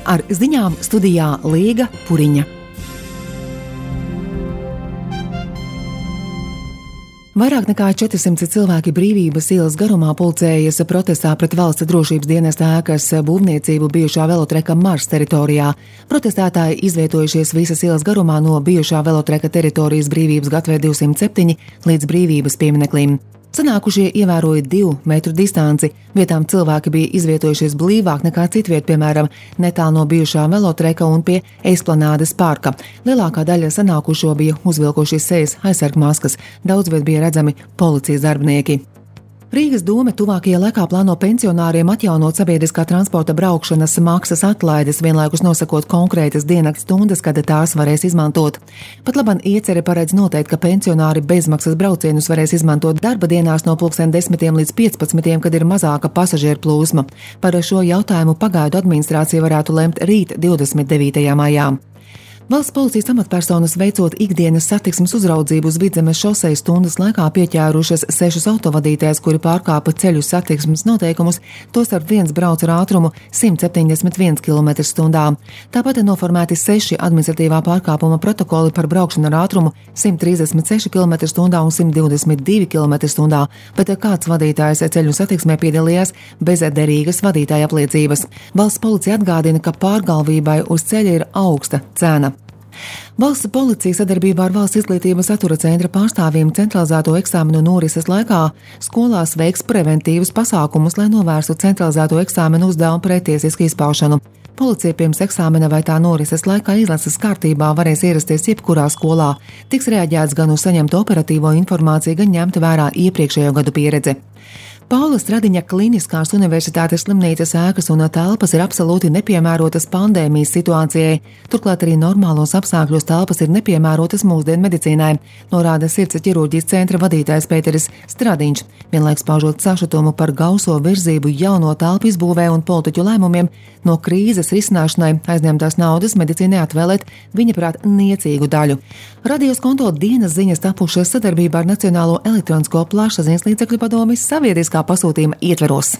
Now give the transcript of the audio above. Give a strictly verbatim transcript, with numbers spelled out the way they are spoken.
Ar ziņām studijā Līga Puriņa. Vairāk nekā četrsimt cilvēki Brīvības ielas garumā pulcējas protestā pret valsts drošības dienesta ēkas būvniecību bijušā velotreka Mars teritorijā. Protestētāji izvietojušies visas ielas garumā no bijušā velotreka teritorijas Brīvības gatavē divsimt septiņi līdz Brīvības piemineklim. Sanākušie ievēroja divu metru distanci, vietām cilvēki bija izvietojušies blīvāk nekā citviet, piemēram, netālu no bijušā velotreka un pie Esplanādes parka. Lielākā daļa sanākušo bija uzvilkuši sejas aizsargmaskas, daudz viet bija redzami policijas darbinieki. Rīgas dome tuvākajā laikā plāno pensionāriem atjaunot sabiedriskā transporta braukšanas maksas atlaides, vienlaikus nosakot konkrētas diennakts stundas, kad tās varēs izmantot. Pat labam iecere paredz noteikt, ka pensionāri bezmaksas braucienus varēs izmantot darba dienās no pulksten desmitiem līdz piecpadsmitiem, kad ir mazāka pasažieru plūsma. Par šo jautājumu pagaidu administrācija varētu lemt rīt divdesmit devītajā maijā. Valsts policijas amatpersonas veicot ikdienas satiksmes uzraudzību uz Vidzemes šosejas stundas laikā pieķērušas sešus autovadītājus, kuri pārkāpa ceļu satiksmes noteikumus, tostarp viens brauc ar ātrumu simt septiņdesmit viens kilometrs stundā. Tāpat ir noformēti seši administratīvā pārkāpuma protokoli par braukšanu ar ātrumu simt trīsdesmit seši kilometri stundā un simt divdesmit divi kilometri stundā, bet kāds vadītājs ceļu satiksmē piedalījās bez derīgas vadītāja apliecības. Valsts policija atgādina, ka pārgalvībai uz ceļa ir augsta cena. Valsts policija sadarbībā ar Valsts izglītības satura centra pārstāvjiem centralizēto eksāmenu norises laikā skolās veiks preventīvus pasākumus, lai novērstu centralizēto eksāmenu uzdevumu pretiesisku izpaušanu. Policija pirms eksāmena vai tā norises laikā izlases kārtībā varēs ierasties jebkurā skolā. Tiks reaģēts gan uz saņemto operatīvo informāciju, gan ņemt vērā iepriekšējo gadu pieredzi. Paula Stradiņa Kliniskās universitātes slimnīcas ēkas un telpas ir absolūti nepiemērotas pandēmijas situācijai. Turklāt arī normālos apstākļos telpas ir nepiemērotas mūsdienu medicīnai, norāda sirds ķirurģijas centra vadītājs Pēteris Stradiņš, vienlaiks paužot sašutumu par gauso virzību jauno telpu izbūvē un politiķu lēmumiem no krīzes risināšanai aizņemtās naudas medicīnai atvēlēt viņa prāt niecīgu daļu. Radios konto dienas ziņas tapušas sadarbībā ar Nacionālo elektronisko plašsaziņas līdzekļu padomes sabiedriskā pasūtījuma ietveros.